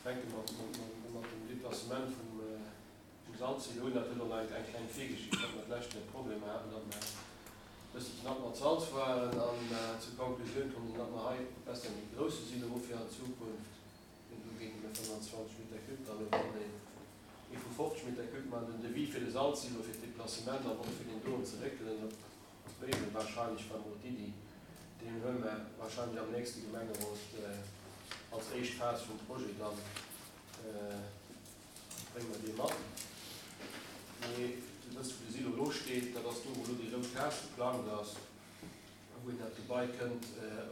Fänke mer mat dem Deplacement vum Salzsilo un. Dat huet och nach eng kleng Virgeschicht, datt mer d'lescht Joer Problemer haten, datt mer e bëssi knapp mat Salz waren an zur Konklusioun komm sinn, datt mer hei besser méi grousse Silo hu fir an Zukunft. Deen do géinge mir 25 Meter cube dann elo wann een ee vu 50 Meter cube maachen. Den Devis fir de Salzsilo, fir d'Deplacement an och fir deen doen ze réckelen op Béiwen warscheinlech war mol d'Iddi. Deen huele mer warscheinlech am nächste Gemengerot als éischt Phas vum Projet dann, brénge mer dee mat. Mee Dir wësst wou de Silo elo steet, dat ass do wou elo déi rout Case geplangt ass a wou een dat Gebai kënnt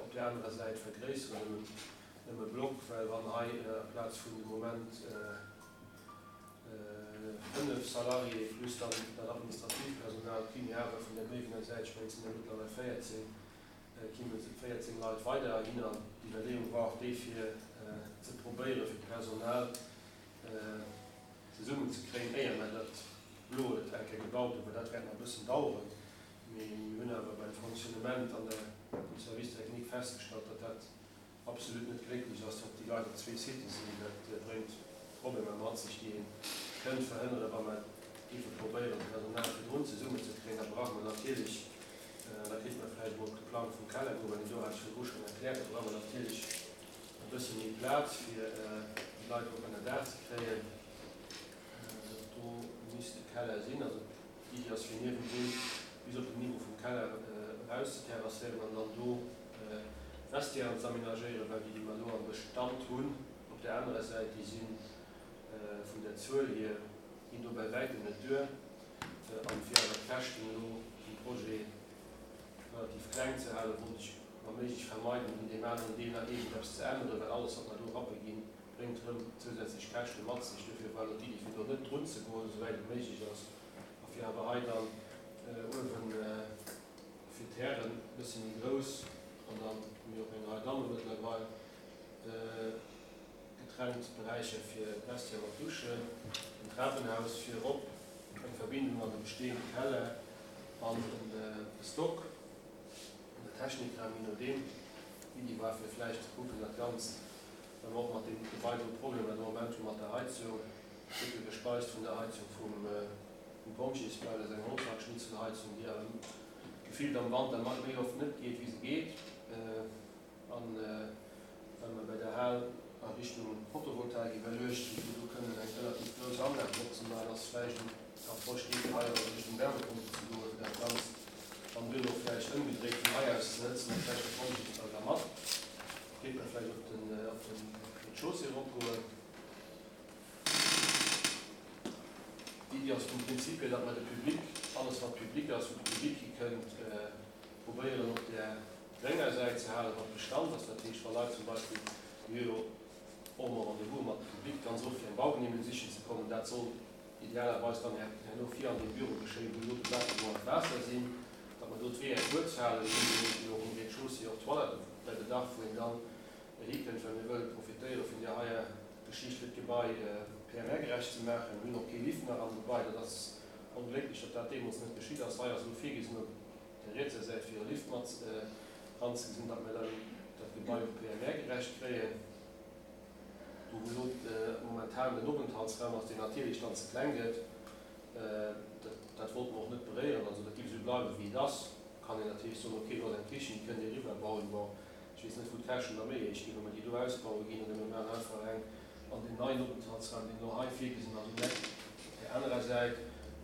op där anerer Säit vergréisseren ëm ëm e Block, well wann hei amplaz vun de Moment 5 Salariéë plus dann dat administratiivt Personal, kéim jo awer vun der Béiwenger Säit, ech mengen et sinn der mëttlerweil 14, kéime 14 Leit weider heihinner. An d'Iwwerleeung war och déi fir ze probéiere fir d'Personal zesummen ze kréien, éier mer dat Bloet eng Kéier gebaut hunn, well dat wäert nach e bëssen daueren. Mee mir hunn awer beim Fonctionnement an der um Service technique festgestallt, datt dat absolut net glécklech ass, datt déi Leit op zwee Sitte sinn. Dat bréngt Problemer mat sech, déi ee kënnt verhënneren, wa mer géife probéieren, d'Personal virdrun zesummenzekréien. Da brauche mer natierlech, an da kéinte mer vläicht emol op de Plang vum Keller goen, well deen do hat ech virdru schonn erkläert, da brauche mer natierlech e bësse méi Plaz, fir déi Leit och ënnerdaach ze kréien. Dat do misst de Keller sinn. Also d'Iddi ass, fir niewendrun bis op den Niveau vum Keller erauszeterrasséieren an dann do Vestiairen ze amenagéieren, well déi, déi mer elo am Bestand hunn op där anerer Säit, déi si vun der Zuel hier, ginn do bäi wäitem net duer. An fir awer d'Käschten elo vum Projet relativ kleng ze halen, wollt ech wa méiglech vermeiden, un deem aneren Deel nach iergendeppes ze änneren, well alles, wat mer do rappe ginn, bréngt erëm zousätzlech Käschte mat sech. Dofir war elo d'Iddi, fir do net drunzegoen, esouwäit et méiglech ass, a fir awer hei dann uewen, fir d'Hären e bësse méi grouss an dann hu mir och eng Rei Damme mëttlerweil, getrennt Beräicher fir d'Vestiaire mat Duschen, en Trapenhaus fir erop, eng Verbindung an de bestehende Keller an e Stock an der Technikraum, je nodeem. D'Iddi war fir vläicht ze kucken dat Ganzt, well mer och mat deem Gebai do Problemer de Moment hu mat der Heizung, gëtt jo gespeist vun der Heizung vum. Um Pompjeesbau, dat ass eng Holzhackschnitzelheizung, déi awer gefillt am Wanter méi oft net geet, wéi se geet. An well mer bei der Hal a Richtung Photovoltaik iwwerluecht hunn, fir do kënnen eng relativ grouss Anlag drop ze maachen, ass vläicht eng Approche déi, fir hei a Richtung Wärmepompe ze goen, fir dat Ganzt dann duerno vläicht ëmgedréit vun hei aus ze hëtzen a vläicht de Pompjeesbau da mat. Kéint mer vläicht op den Rez-de-chaussée eropgoen. D'Iddi ass vum Prinzip hier, datt mer de Public, alles wat public ass, wou de Public hikënnt, probéieren op där grénger Säit ze halen, wat Bestand ass. Dat heescht, wa Leit zum Beispill, mir hu jo och emol Rendez-vouse mat Public ganz oft, fir eng Baugenehmegung sichen ze kommen, dat soll idealerweis dann herno vir an deem Büro geschéien, wou elo de Bâtiment an d'Waasser sinn, datt mer do d'Weeër kuerz halen. Mir hunn jo och um Rez-de-chaussée och Toiletten bei Bedarf, wou een dann hikënnt, well mir wëlle profitéiere vun där heier Geschicht fir d'Gebai PMR-gerecht ze maachen. Mir hunn och kee Lift nach am Gebai. Dat ass onglécklech, datt dat deemools net geschitt ass. Hei ass elo virgesinn, op der rietser Säit fir e Lift mat eranzegesinn, datt mir dann dat Gebai och PMR-gerecht kréien. Do wou elo momentan den Openthaltsraum ass, deen natierlech dann ze kleng gëtt, dat wollte mer och net beréieren. Also dat géif esou bleiwen, wéi et ass. Kann een natierlech soen, okay, do ass eng Kichen, déi kënnt Dir eriwwerbauen. Bon, Ech weess net, wou d'Käschten da méi héich ginn, wa mer déi do ausbaue ginn oder mir maachen einfach eng an deen neien Openthaltsraum, deen elo hei virgesinn ass, um Eck op där anerer Säit,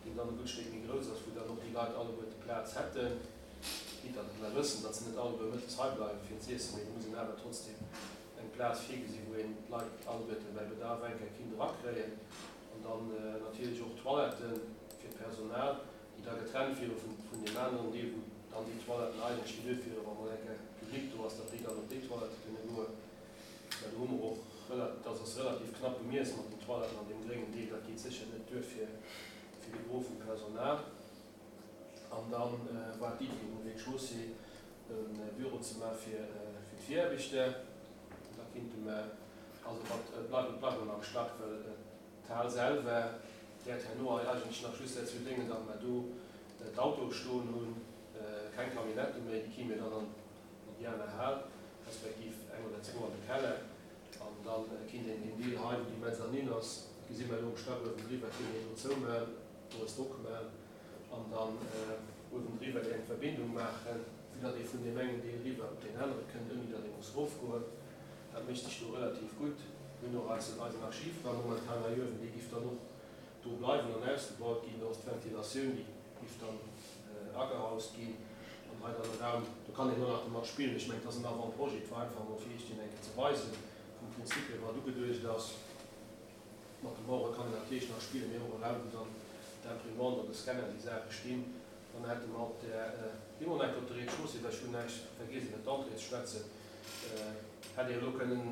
deen dann e gutt Stéck méi grouss ass, wou dann och déi Leit alleguerte Plaz hätten. Quitte datt mer wëssen, datt se net alleguer mëttes hei bleiwen, fir z'iessen, mee et muss een awer trotzdem eng Plaz virgesinn, wou een d'Leit alleguerte bäi Bedarf eng Kéier kinnt erakréien. An dann natierlech och Toiletten fir d'Personal. déi da getrennt wiere vun deem aneren Deel, wou dann déi Toiletten eigentlech geduet wieren, wa mol eng Kéier Public do ass, datt déi dann op déi Toilette kënne goen. Mä do hu mer och, dat ass relativ knapp bemiess mat den Toiletten an deem gréngen Deel, dat geet sécher net duer fir de Gros vum Personal. An da war d'Iddi um Rez-de-chaussée e Büro ze maache fir d'Viraarbechter. Da kinnte mer, also et bleiwen, et bleiwen am Stack, well D'Hal selwer wäert herno eigentlech nach just derzou déngen, datt mer do d'Autoe stoen hunn, keng Camionnette méi, déi kréie mir dann an déi aner Hal, respektiv eng oder zwou an de Keller. An da kinnt een deen Deel hei. hei, wou déi Mezzanine ass, gesi mer elo um Stack uewendriwwer, kéint een do zoumaachen, do e Stock maachen an dann uewendriwwer déi eng Verbindung maachen, fir datt ee vun deem engen Deel riwwer op deen anere kënnt, ouni datt ee muss erofgoen. Dat mécht sech do relativ gutt. Mir hunn och eisen eisen Archivraum momentan hei uewen, dee giff dann och do bleiwen an ausgebaut ginn. Do ass d'Ventilatioun, déi giff dann agehaust ginn an hei dann e Raum, do kann een och nach domat spillen. Ech mengen, et ass en Avant-projet, et war einfach emol fir Iech deen eng Kéier ze weisen, vum Prinzip hier, wat ugeduecht ass. Mat de Mauere kann een natierlech nach spillen, mee och e Raum, wou dann d'Imprimante an de Scanner, déi Saache stinn. Dann hätte mer op där, gi mer eng Kéier op de Rez-de-chaussée, well ech hunn näischt vergiess iwwer d'Entrée ze schwätzen, hätt ee elo kënnen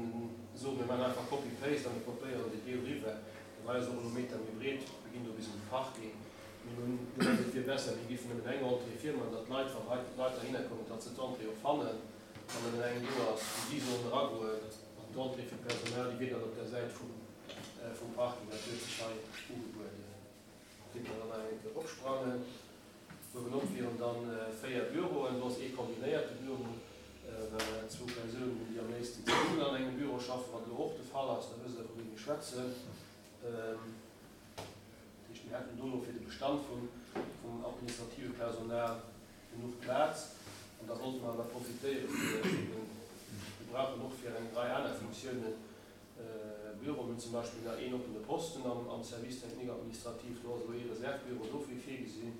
soen, mir maachen einfach Copy-paste a mir kopéieren deen Deel eriwwer. Den hei ass och elo Meter méi breet, mir ginn do bis un de Parking. Mir hunn gemengt, et wier besser, mir géifen nëmmen eng Entrée virman, datt d'Leit, wann hei d'Leit derhinner kommen, datt se d'Entrée och fannen, wann nëmmen eng do ass, wou si sollen eragoen. An d'Entrée fir d'Personal, déi wier dann op der Säit vum Parking. Dat huet sech hei ugebueden. Kéint mer dann nach eng Kéier eropsprangen. Uewenop wieren dann 4 Büroen. Do ass ee kombinéierte Büro, well mer zwou Persounen hunn, déi am léifsten zesummen an engem Büro schaffen, wat elo och de Fall ass. Da wësst Der, vu wem mir schwätzen. Dat heescht, mir hätten do elo fir de Bestand vum administrative Personal genuch Plaz. An da wollte mer awer profitéiere fir eben, mir brauchen och fir eng Rei aner Funktiounen Büro. Mir hunn zum Beispill nach een oppene Posten am Service technique administratif. Do ass elo ee Reservebüro dofir virgesinn.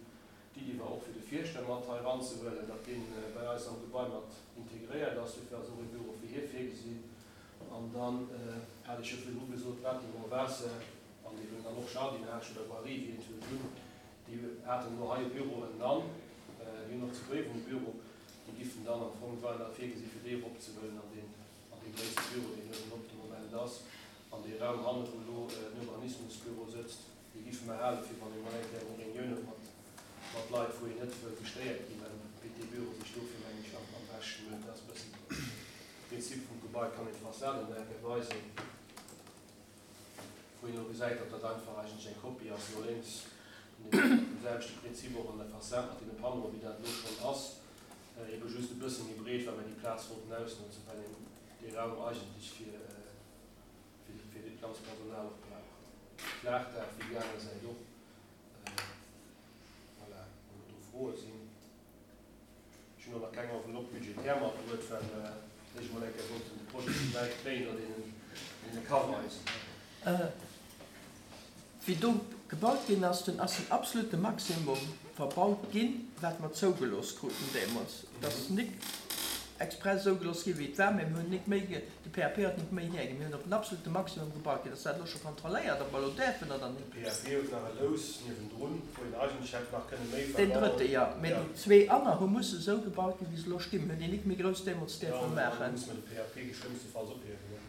D'Iddi war och fir de Fierschter mat hei eranzehuelen, datt dee bei eis am Gebai mat integréiert ass. Dofir ass och ee Büro fir hie virgesinn. An dann hat ech jo virdru gesot, Bâtiment Waasser an eben dann och Jardinage oder Voirie, wéi een et wëllt hunn, déi haten elo hei e Büro ënnenan. Déi hunn och zu Bréiwen e Büro. Déi giffen dann am Fong, war nach virgesi fir déi eropzehuelen an deen an dee gréisste Büro, deen uewen op de Moment ass, an dee Raum hanne wou elo den Urbanismusbüro sëtzt, dee giffe mer hale fir wann ee mol eng Kéier eng Reunioun huet mat mat Leit, wou een net wëll gestéiert ginn, dann bitt dee Büro sech dofir, meng ech, am am beschten un. Dat ass e bëssen de Prinzip vum Gebai. Kann een d'Fassade nach eng Kéier weisen, wou een elo gesäit, datt dat einfach eigentlech eng Kopie ass, no lénks vun deem selwechte Prinzip och an der Fassade mat deene Panneauen, wéi dat elo schonn ass. Ebe just e bësse méi breet, well mir déi Plaz wollten ausnotzen, well een dee Raum eigentlech fir fir dat ganzt Personal och brauch. Flaachdaach wéi déi aner Säit och. Voilà, wann do Froe sinn. Ech hunn och nach keng Enveloppe budgétaire matbruet, well mer éischt emol eng Kéier wollten de Projet esou wäit kréien, datt een en e ka weisen. Wéi do gebaut ginn ass, dunn ass den absolute Maximum verbaut ginn, wat mer zougelooss kruten deemools. Et ass nik express esou gelooss ginn, wéi et war, mä mir hunn nik méi, de PAP huet nik méi hierginn. Mir hunn op den absolute Maximum gebaut ginn. Ass dat elo scho kontrolléiert, ob mer elo däerfen oder nik? De PAP huet nach e Lous niewendrun, wou een eigentlech hätt nach kënne méi verbauen. Deen drëtte, jo. Mä déi zwee aner hu musse esou gebaut ginn, wéi se elo stinn. Mir hunn déi nik méi grouss deemools däerfe maachen. Jo, da musse mer de PAP geschlëmmstefalls ophiewen, ne?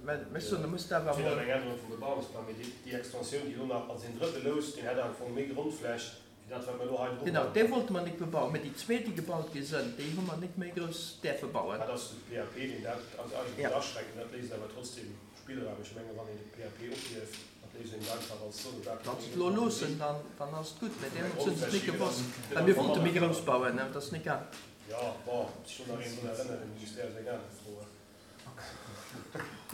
Mä ech soen, da muss dat awer emol. Eng Ännerung vum Bebauungsplang, mee déi Extensioun, déi elo nach, also deen drëtte Lous, deen hätt am Fong méi Grondfläch wéi dat, wat mer elo hei dru Genau, dee wollte mer nik bebauen, mä déi zwee, déi gebaut gi sënn, déi hu mer nik méi grouss däerfe bauen. Dat ass de PAP, deen dat also eigentlech aschränkt, mä dat léisst awer trotzdem Spillraum. Ech menge wann een de PAP ophieft, dat léisst een et einfach als Zone Wann se et elo loossen, dann, dann ass et gutt, mä deemools hunn se et nik gewosst, well mir wollte méi grouss bauen, dat ass nik gaang. Jo, bon, ob sech do nach een drun erënnert, de Ministère ass eng aner Fro.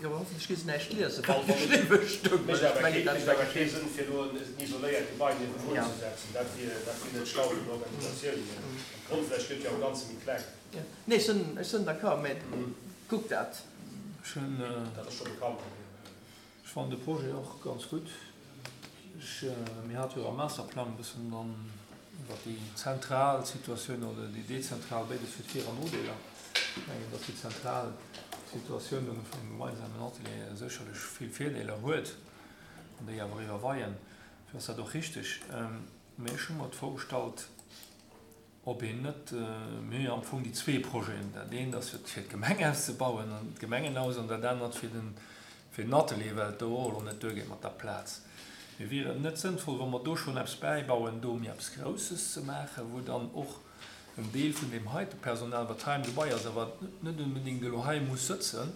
Jo, hoffentlech gi se näischt liesen, wat geschriwwe stoung. Mécht awer kee, mécht awer kee Sënn fir elo en isoléiert Gebai niewendrun ze setzen. Dat wier, dat wier net schlau vun der Organisatioun hier. An d'Grondfläch gëtt jo am Ganze méi kleng. Nee, ech sinn, ech sinn d'accord, mä kuck dat. Ech hunn. Dat ass scho bekannt. Ech fannen de Projet och ganz gutt. Ech, mir hate jo am Masterplang e bëssen dann iwwer déi zentral Situatioun oder déi dezentral, béides huet Vir an Nodeeler. Ech mengen, datt déi zentral Situatioun vun engem gemeinsamen Atelier sécherlech vill Virdeeler huet an déi awer iwwerweien. Dofir ass dat och richteg. Mä ech hu mer d'Fro gestallt, ob een net, mir hu jo am Fong déi zwee Projeten, dat eent ass fir d'Gemeng auszebauen an d'Gemengenhaus an dat anert fir den, fir den Atelier, well et do och elo net duergeet mat der Plaz. Mee wier et net sënnvoll, wa mer do schonn eppes bäibauen, do méi eppes Grousses ze maachen, wou dann och en Deel vun deem heite Personal, wat hei am Gebai ass a wat net onbedéngt elo hei muss sëtzen,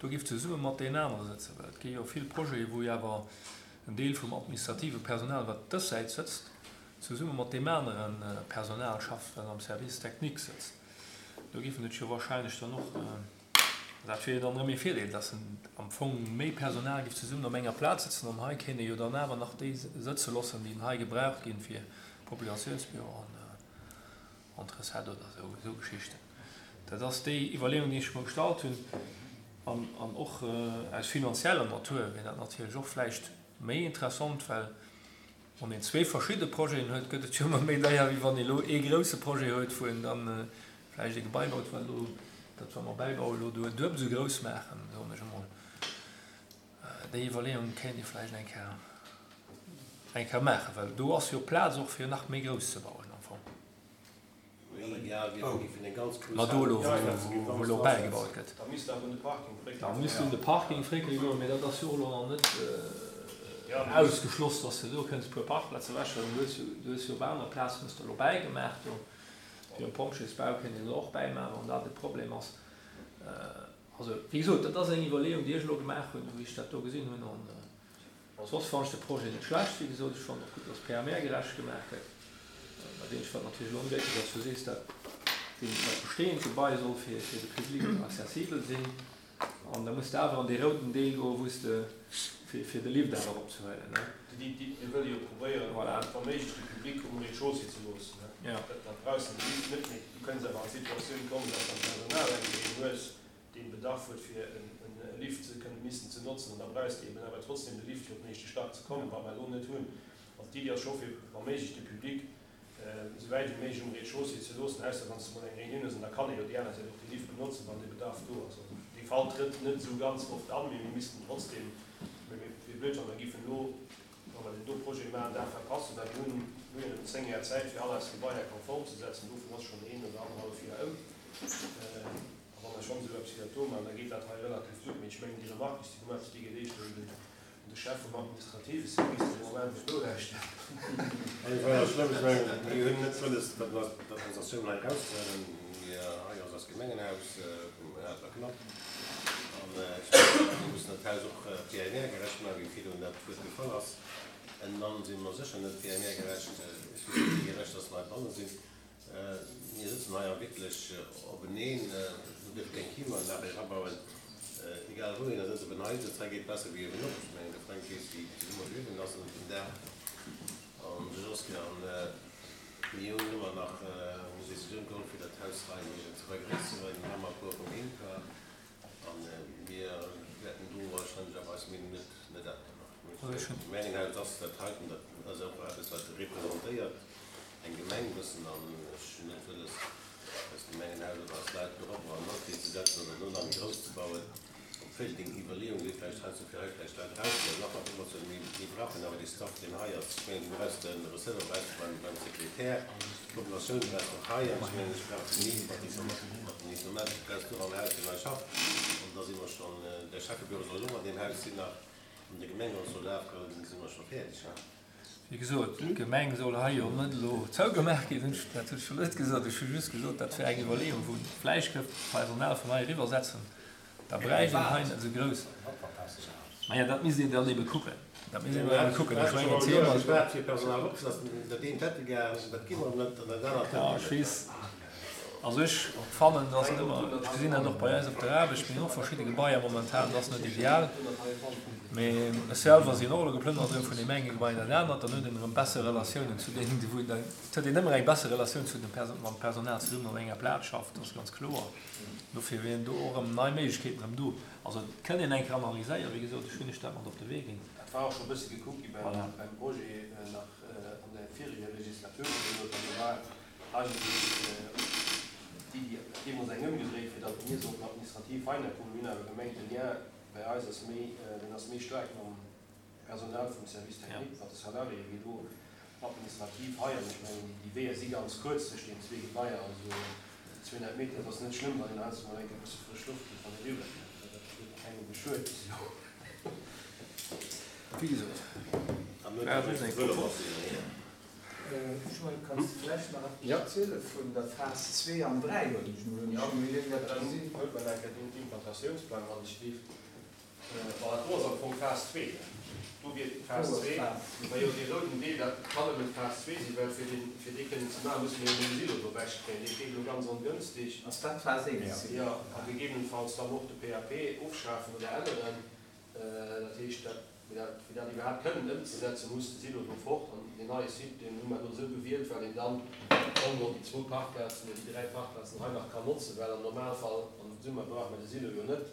do géif zesumme mat deenen anere sëtzen? Well et gi jo vill Projete wou jo awer en Deel vum administrative Personal, wat dës Säit sëtzt, zesumme mat deem anere Personal schafft, wat am Service technique sëtzt. Do géifen et jo wahrscheinlech dann och. Dat wier jo dann erëm ee Virdeel, dass en am Fong méi Personal géif zesummen op enger Plaz sëtzen an hei kéint ee jo dann awer nach déi sëtze loossen, déi hei gebraucht ginn fir Populatiounsbüro an d'Recette oder esou, esou Geschichten. Dat ass déi Iwwerleeung, déi ech mer gestallt hunn. An, an och aus finanzieller Natur wier dat natierlech och vläicht méi interessant, well wann een zwee verschidde Projeten huet, gëtt et jo ëmmer méi deier, wéi wann ee elo ee grouse Projet huet, wou een dann vläicht ee Gebai baut, wat elo, dat wa mer bäibauen, elo do duebel esou grouss maachen, soen ech emol. Déi Iwwerleeung kéint ee vläicht eng Kéier, eng Kéier maachen, well do ass jo Plaz och fir nach méi grouss ze bauen am Fong. Ma do elo, wou elo bäigebaut gëtt. Da misst awer un de Parking fréckele goen. Da misst un de Parking fréckele goen, mee dat ass jo och elo nach net ausgeschloss, dass de do kënns e puer Parkplaze ewechhuelen. Du hues jo, du hues jo op aner Plazen hues de elo bäigemaach do. Fir um Pompjeesbau kéint een elo och bäimaachen, wann dat e Problem ass. Also, wéi gesot, dat ass eng Iwwerleeung, déi ech elo gemaach hunn, wéi ech dat do gesinn hunn. Soss fannen ech de Projet net schlecht, wéi gesot. Ech fannen och gutt, dass PMR-gerecht gemaach gëtt. Dat eenzegt, wat natierlech elo onglécklech ass, du sees dat, dat bestehend Gebai soll fir de Public accessibel sinn an da muss de awer an dee rouden Deel goen, wou s de fir de Lift awer eropzehuelen, ne? Mir wëlle jo probéieren, wa méiglech de Public um Rez-de-chaussée ze loossen, ne? Da brauchs de de Lift net méi. Du kënns awer an d'Situatioun kommen, dass dann d'Personal eng Kéier een hues, deen Bedarf huet fir e Lift ze kënnen missen ze notzen, an da brauchs de eben awer trotzdem de Lift fir op den éischte Stack ze kommen, wat mer elo net hunn. Also d'Iddi ass scho fir wa méiglech de Public esou wäit wéi méiglech um Rez-de-chaussée ze loossen, ausser wann s de mol eng Réunioun hues, an da kann ee jo déi aner Säit och de Lift benotzen, wann dee Bedarf do ass. Also dee Fall trëtt net esou ganz oft an, mee mir missten trotzdem, mee et wier blöd wa mer giffen elo, wa mer deen do Projet maachen, dat verpassen, well mir hunn elo jo nëmmen 10 Jar Zäit fir all eis Gebaier konform ze setzen, dovun ass schonn een oder annerhallef Joer ëm. A wa mer schonn esou eppes wéi dat do maachen, da geet dat hei relativ gutt. Mee ech mengen, déi Remarque, déi s de gemaach hues, déi geet éischter un den, un de Chef vum administrative Service, deen de Moment net nolauschtert. Et war jo schlëmm. Ech mengen, mir hunn net wëlles, datt mer d'Administratioun hei erauszehalen. Mir, hei ass eist Gemengenhaus, mir hate mer knapp. An ech mengen, mir mussen dat Haus och PNR-gerecht maachen, wéi virdrun dat Wuert gefall ass. Ënnenan si mer sécher net PNR-gerecht. Ech weess net, wéi gerecht datt mer heibanne sinn. Mir sëtzen hei a wierklech openeen, do dierf keng Klimaanlag erabauen, egal wou een da sëtzt, ob en hei sëtzt, hei geet besser wéi uewenop. Ech mengen, de Fränk weess, wéi zesumme uewen ass ënnert dem Daach an de Josquin an mir hunn ëmmer nach eng Decisioun geholl, fir dat Haus hei ze vergréisseren. Mir hu mar e puer vum INPA a mir wäerten do warscheinlech awer eis Meenung net änneren. D'Gemengenhaus ass dat heiten, dat ass och eppes, wat representéiert eng Gemeng e bëssen. An ech hunn net wëlles, eist Gemengenhaus oder eis Leit doropper an Atelier ze setzen oder do nach méi grouss ze bauen. Obwuel deng Iwwerleeung wier vläicht heiansdo fir hei vläicht Leit erauszehuelen, nach mat ëmmer mee mir brauchen awer dee Staff, deen hei ass. Ech mengen, du brauchs de Receveur brauchs de beim, beim Sekretär, d'Populatioun brauchs de och hei. An ech mengen, ech brauch den mat den Informatik brauchs du och am Haus, deen hei schafft. An da si mer schonn, de Schäffebüro soll och an deem Haus sinn nach. An de Gemengerot soll afgoen, da si mer scho fäerdeg, ha? Wéi gesot, d'Gemeng soll hei jo net elo zougemaach ginn. Dat hunn ech jo net gesot. Ech hu just gesot, dat wär eng Iwwerleeung, wou vläicht gëtt d'Personal vun hei eriwwersetzen. Da bräicht een hei net esou grouss. Maja, dat misst een dann ebe kucken. Dat misst een dann ebe kucken. Ech mengen, d'Thema. Ja, ech weess. Also ech fannen, dass et ëmmer, ech gesinn dat och bei eis op der Aarbecht, mir hunn och verschidde Gebaier momentan, dat ass net ideal, mee ech selwer sinn och elo geplënnert erëm vun deem enge Gebai an dat anert, dann huet een erëm besser Relatiounen zu deenen, wou een dann, et huet een ëmmer eng besser Relatioun zu dem Perso-, mam Personal zesummen op enger Plaz schafft, dat ass ganz kloer. Dofir wieren do och erëm nei Méiglechkeeten erëm do. Also et kënnt een eng Kéier analyséieren, wéi gesot, ech hunn lech dat mat op de Wee ginn. Dat war och scho e bësse gekuckt gi beim Projet nach an der vireger Legislaturperiod, an do war Eigentlech d'Iddi deemools eng ëmgedréit, fir datt mir sollten administrativ heihinner kommen. Mir hunn awer gemengt, de Lien bei eis ass méi, deen ass méi staark mam Personal vum Service technique, mat de Salariéen, wéi elo administrativ hei. An ech mengen, déi Weeër si ganz kuerz tëscht deenen zwee Gebaier, also déi 200 Meter. Et ass net schlëmm, wann een heiansdo mol eng Kéier e bësse frësch Loft kritt, wann ee eriwwerkënnt. Dat huet kengem geschuet bis elo. Wéi gesot, war just eng Propos. Joël, kanns de vläicht nach eppes erziele vun der Phas 2 an 3? Hunn ech mol gesinn. Huelt mer nach eng Kéier den Implantatiounsplang an, ech lift. Bon, dat do ass am Fong Phas 2. Do wier Phas 2. Majo, dee rouden Deel, dat kann nëmmen Phas 2 sinn, well fir deen, fir dee kënnen ze maachen, musse mir jo den Silo do ewechkréien. Dee steet elo ganz ongënstig. Ass dat Phas 1? Jo, a gegebenenfalls dann och de PAP ofschafen oder änneren. Dat heescht, dat, fir dat, fir dat iwwerhaapt kënnen ëmzesetzen, muss de Silo do fort. An deen neie Site, deen hu mer elo esou gewielt, well een dann en gros déi zwou Parkplazen oder déi dräi Parkplazen hei nach kann notzen, well am Normalfall am Summer brauche mer de Silo jo net.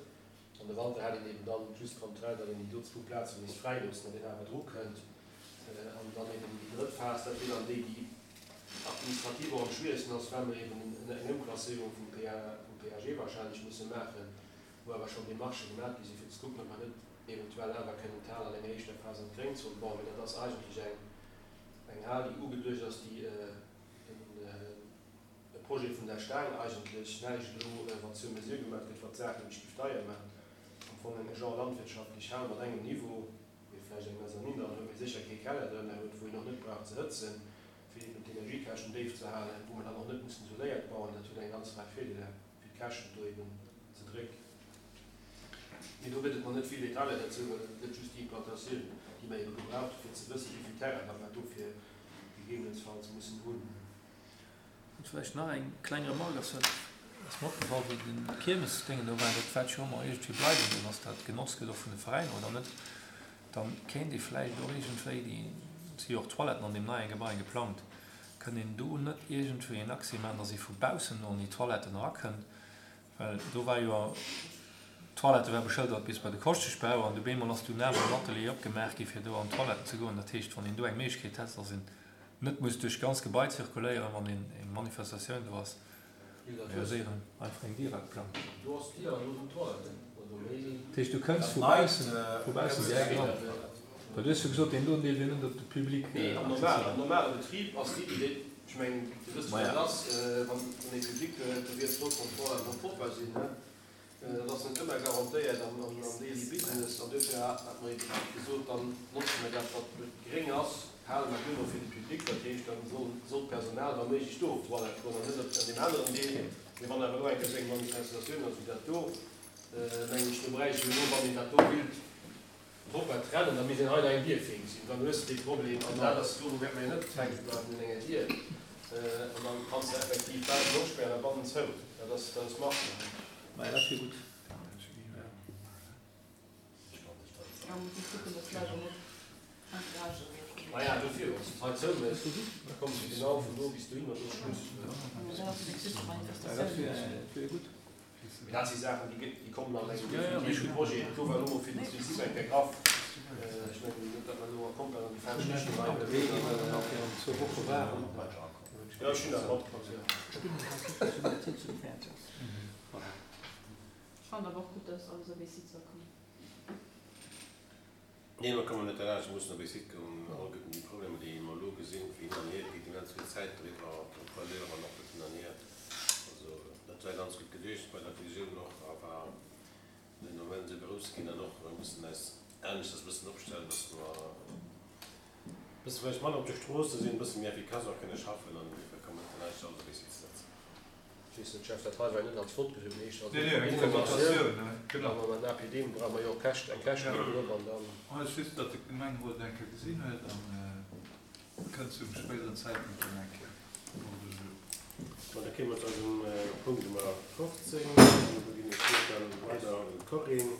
An de Wanter hätt een eben dann just d'Contrainte, datt een déi do zwou Plaze misst fräiloossen, datt een awer dru kënnt. An dann eben déi drëtt Phas, dat wier dann déi, déi administrativ och am schwieregsten ass, well mer eben eng Ëmklasséierung vum PAG wahrscheinlech musse maachen, wou awer schonn Demarchë gemaach gi sinn, fir ze kucken, ob mer net eventuell awer kënnen d'Hal an enger éischter Phas an d'Gréngzon bauen. Mee dat ass eigentlech eng Hal, déi ugeduecht ass, déi en, E Projet vun der Staang eigentlech, näischt elo wat sur mesure gemaach gëtt, wat d'Saach nämlech géif deier maachen. Am Fong eng genre landwirtschaftlech Hal mat engem Niveau, mee vläicht eng Mezzanine dran huet, mee sécher kee Keller drënner huet, wou een och net brauch ze hëtzen, fir eben d'Energiekäschten déif ze halen, wou mer dann och net mussen isoléiert bauen. Dat huet eng ganz Rei Virdeeler, fir d'Käschten do eben ze drécken. Mee do gëtt et nach net vill Detailer derzou, well et gëtt just déi Implantatioun, déi mer ebe gebraucht hu fir ze wëssen, wéi vill Terrain datt mer dofir gegebenensfalls mussen hunn. An vläicht nach eng kleng Remarque, ass dat ass mer opgefall, wéi den Kiermesdéngen do war, dat wäert jo ëmmer iergendwéi bleiwen, dann ass dat genotzt gëtt och vun de Veräiner oder net, dann kéint ee vläicht och iergendwéi, déi si jo och Toiletten an deem neie Gebai geplangt, kënnt een do net iergendwéi en Accès maachen, dass ee vu baussen an déi Toiletten erakënnt, well do war jo, d'Toilette war beschëldert bis bei de Koschteschbau an du bemol ass dunn awer en Atelier opgemaach gi fir do an d'Toiletten ze goen. Dat heescht, wann een do eng Méiglechkeet hätt, dass een net muss duerch d'ganz Gebai zirkuléieren, wann een eng Manifestatioun do ass, realiséieren, einfach eng Dier ageplangt. Do ass d'Dier an do sinn d'Toiletten. Also méi. Dat heescht, du kënns vu baussen, vu baussen direkt eran. Well du hues jo gesot, deen doen Deel wier net op de Public Nee, am normalen, am normale Betrib ass d'Iddi déi, ech mengen, Dir wësst, wéi dat ass, wann ee Public huet, do wier et flott, wann d'Toiletten och propper sinn, ne? Dat ass net ëmmer garantéiert am daily business an dofir hat mer eben gesot, dann notze mer dat, wat gréng ass, hale mer duerno fir de Public. Dat heescht, da soll d'Personal wa méiglech do op d'Toilette goen an net op an deem aneren Deel. Mee wann awer elo eng Kéier esou eng Manifestatioun ass wéi dat do, mengen ech, do bräicht ech elo, wann een dat do willt, Propper trennen, da misst een hei nach eng Dier virgesinn, dann hues de dee Problem an dat ass, dovu wäerte mer jo net fänke bleiwen un enger Dier an dann kanns de effektiv baussen opspären a bannen zou, dat ass, dat ass machbar. Maja, dat wier gutt. Maja, dofir, wann s de d'hei zou méchs, da komms de genau vun do bis dohin an do ass Schluss. Dat wier gutt. Mee dat si Saachen, déi kommen an engem definitiven Projet. Et gouf awer elo mol fir de Prinzip eng Kéier graff. Ech mengen net, datt mer elo komplett an déi falsch Richtung hei ënnerwee sinn. Jo, ech hunn dat matkritt, jo. Ech fannen awer och gutt, dass alles op ee Site soll kommen. Nee, mer kommen net derlaanscht, mer mussen op ee Site goen. All gëtten déi Problemer, déi mer elo gesinn, fir hin an hier, et geet immens vill Zäit driwwer, d'Contrôleur an och dat hin an hier. Also dat war ganz gutt geduecht bei der Fusioun och, a war den Moment esou grouss ginn. An och mer mussen eis aneschters e bëssen opstellen, dass mer e bësse vläicht manner op de Stroosse sinn, e bësse méi effikass och kënne schaffen an dofir komme mer net derlaanscht, alles op ee Site ze setzen. Ech weess net, Jeff, dat hei war jo net als Vott gesot, mee éischter als Nee, nee, eng Informatioun, genau. A mam APD brauche mer jo och Käscht, eng Käschtenrechnung drop an dann. Ech just, datt de Gemengerot eng Kéier gesinn huet an kënnt zum spéideren Zäitpunkt dann eng Kéier au ordre du jour. Bon, da kéime mer zu eisem Punkt Nummer 15. An do ginn ech d'Wuert dann weider un d'Corinne.